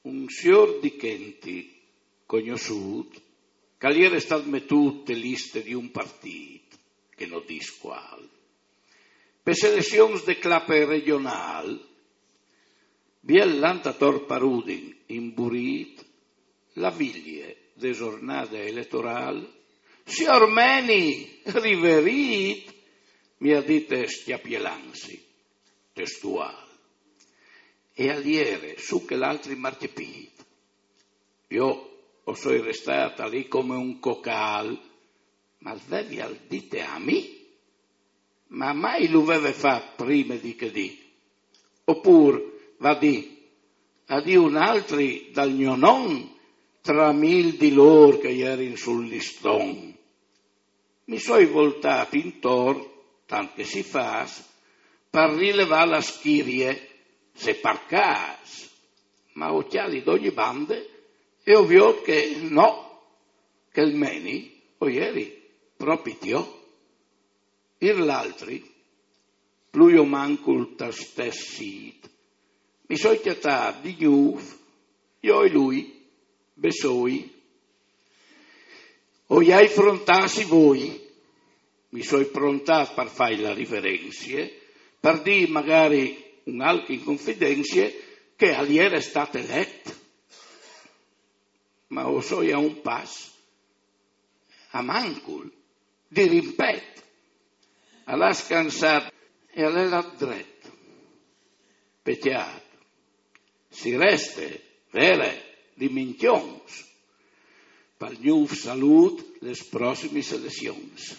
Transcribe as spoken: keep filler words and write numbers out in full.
Un siôr di Chenti, cognossût, che al jere stât metût te liste di un partît, che no dîs cuâl, pe selezions de clape regjonâl, biel lant ator par Udin, imburît, la vilie de zornade eletorâl: «Siôr Meni, riverît!», mi à dite scjapilansi, testuâl. E al jere su chel altri marcepît. Jo o soi restât li come un cocâl, ma lu vevial dite a mi? Ma mai lu veve fat prime di chê dì? Opûr, va dì, a dì un altri dal gno non, tra mil di lôr che a jerin sul liston? Mi soi voltât intor, tant che si fâs, par rilevâ la schirie, se par câs. Ma o cjali d'ogni bande e o viôt che no, chel Meni o jeri propit jo. Ir l'altri, plui o mancul tal stes sît, mi soi cjatât di gnûf, jo e lui, bessôi. O i ai frontâts i voi, mi soi prontât par fâi la riverenzie, par dî magari un alc in confidenzie che al jere stât elet. Ma o soi a un pas, a mancul, di rimpet. Al à scansât e al è lât dret. Pecjât. Si reste, vere, di mincjons, pal gnûf salût les prossimis elezions.